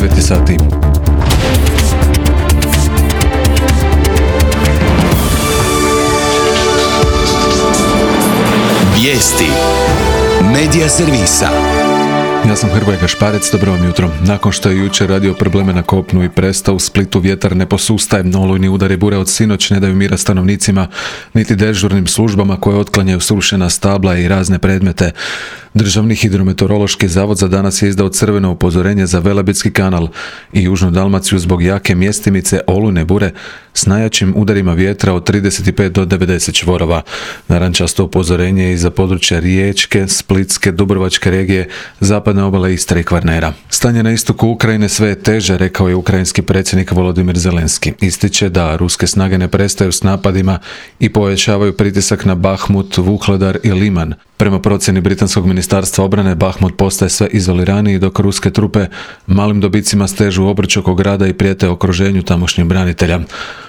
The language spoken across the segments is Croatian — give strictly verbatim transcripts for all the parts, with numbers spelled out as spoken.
devet sati. Vijesti Medija servisa. Ja sam Hrvoje Gašparec, dobro vam jutro. Nakon što je jučer radio probleme na kopnu i prestao, u Splitu vjetar ne posustaje. Olujni udari bure od sinoć ne daju mira stanovnicima, niti dežurnim službama koje otklanjaju srušena stabla i razne predmete. Državni hidrometeorološki zavod za danas je izdao crveno upozorenje za Velebitski kanal i Južnu Dalmaciju zbog jake mjestimice olujne bure s najjačim udarima vjetra od trideset pet do devedeset čvorova. Narančasto upozorenje je i za područja Riječke, Splitske, Dubrovačke regije, zapadne obale Istre i Kvarnera. Stanje na istoku Ukrajine sve je teže, rekao je ukrajinski predsjednik Volodimir Zelenski. Ističe da ruske snage ne prestaju s napadima i povećavaju pritisak na Bahmut, Vuhledar i Liman. Prema procjeni britanskog ministarstva obrane, Bahmut postaje sve izoliraniji, dok ruske trupe malim dobicima stežu obruč oko grada i prijete okruženju tamošnjih branitelja.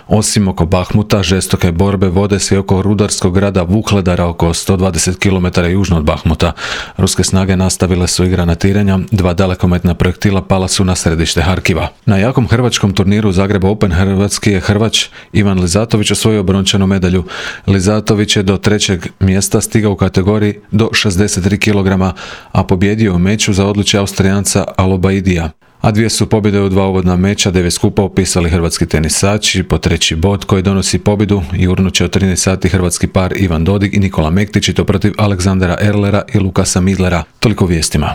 Osim oko Bahmuta, žestoke borbe vode se i oko rudarskog grada Vuhledara oko sto dvadeset kilometara južno od Bahmuta. Ruske snage nastavile su i granatiranja, dva dalekometna projektila pala su na središte Harkiva. Na jakom hrvačkom turniru Zagreb Open hrvatski je Hrvač Ivan Lizatović osvojio brončanu medalju. Lizatović je do trećeg mjesta stigao u kategoriji do šezdeset tri kilograma, a pobjedio u meču za odličje Austrijanca Alobaidija. A dvije su pobjede u dva uvodna meča devet skupa upisali hrvatski tenisači. Po treći bod koji donosi pobjedu jurnut će od trinaest sati hrvatski par Ivan Dodig i Nikola Mektić, i to protiv Aleksandra Erlera i Lukasa Midlera. Toliko vijestima.